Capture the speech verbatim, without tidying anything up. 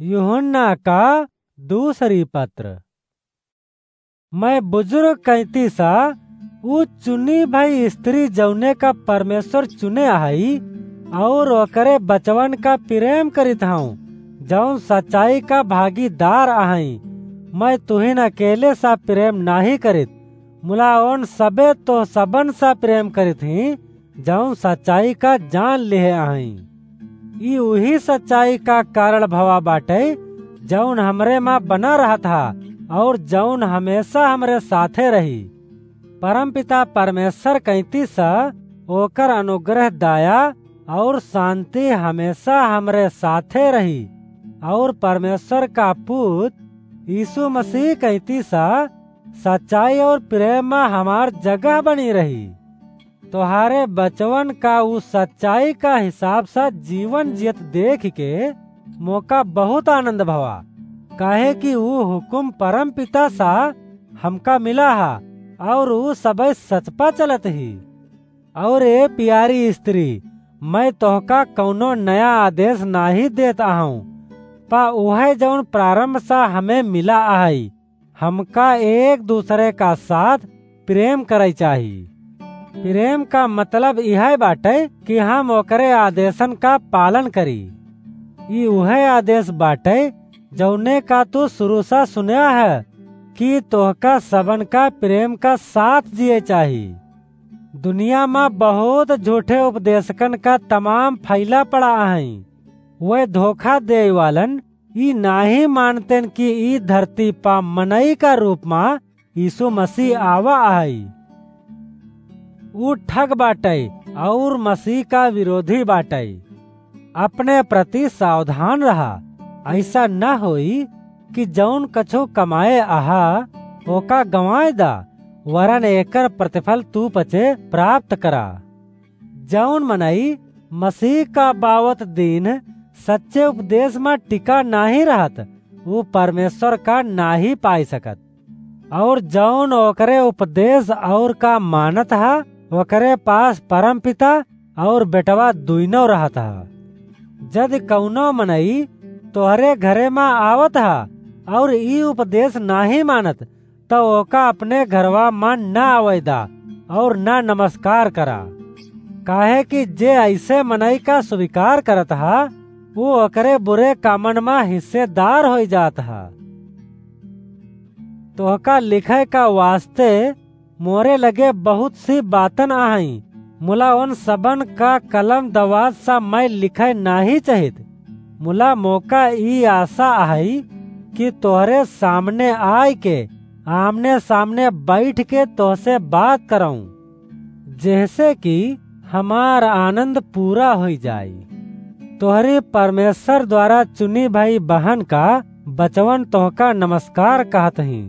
यूहन्ना का दूसरी पत्र। मैं बुजुर्ग कैंती सा, ऊ चुनी भई स्त्री जौने का परमेश्वर चुने अहई, और ओकरे बचवन का प्रेम करित हऊँ, जौन सच्चाई का भागीदार अहई। मैं तुहिन अकेले सा प्रेम नाही करित, मुला ओन सबे तोह सबन सा प्रेम करित ही, जौन सच्चाई का जान लिहे अहई। ई उही सच्चाई का कारण भवा बाटे, जौन हमरे मा बना रहत हा, और जौन हमेशा हमरे साथे रही। परमपिता परमेश्वर कैंती सा ओकर अनुग्रह, दया और शांति हमेशा हमरे साथे रही, और परमेश्वर का पूत यीशु मसीह कैंती सा सच्चाई और प्रेम मा हमार जगह बनी रही। तोहारे बचवन का ऊ सच्चाई का हिसाब सा जीवन जियत देख के मोका बहुत आनंद भवा, काहे कि ऊ हुकुम परम पिता सा हमका मिला हा, और ऊ सबे सच पा चलत ही। और ए प्यारी स्त्री, मैं तोहका कौनो नया आदेश नाही देत आहूँ, पा उहे जौन प्रारंभ सा हमें मिला आहई, हमका एक दूसरे का साथ प्रेम करइ चाही। प्रेम का मतलब इहइ बाटइ कि हम ओकरे आदेशन का पालन करी। ई उहइ आदेश बाटइ जउने का तू सुरु सा सुन्या ह कि तोहका सबन का प्रेम का साथ जियइ चाही। दुनिया मा बहुत झूठे उपदेशकन का तमाम फइला पड़ा अहइँ। वह धोखा देइ वालन ई नाहीं मानतेन कि ई धरती पा मनई का रूप मा यीशु मसीह आवा अहइ। ऊ ठग बाटइ अउर मसीह का विरोधी बाटइ। अपने प्रति सावधान रहा, अइसा न होई कि जउन कछु कमाए अहा, ओका गँवाए दा, वरन एकर प्रतिफल तू पचे प्राप्त करा। जउन मनई मसीह का बावत दीन्ह सच्चे उपदेश मा टिका नाहीं रहत, ऊ परमेश्वर का नाहीं पाइ सकत। अउर जउन ओकरे उपदेश अउर का मानत ह, ओकरे पास परमपिता अउर बेटवा दुइनो रहत ह। जदि कउनो मनई तोहरे घरे मा आवत ह अउर ई उपदेश नाहीं मानत, त ओका अपने घरवा मा न आवइ दा अउर न नमस्कार करा। काहे कि जे अइसे मनई का स्वीकार करत ह, ऊ ओकरे बुरे कामन मा हिस्सेदार होइ जात ह। तोहका लिखइ का वास्ते मोरे लगे बहुत सी बातन अहइँ, मुला ओन सबन का कलम दवात सा मइँ लिखइ नाहीं चाहित। मुला मोका ई आसा अहइ कि तोहरे सामने आइके आमने सामने बइठ के तोहसे बात करउँ, जेहसे कि हमार आनंद पूरा होइ जाई। तोहरी परमेश्वर द्वारा चुनी भई बहन का बचवन तोहका नमस्कार कहत हीं।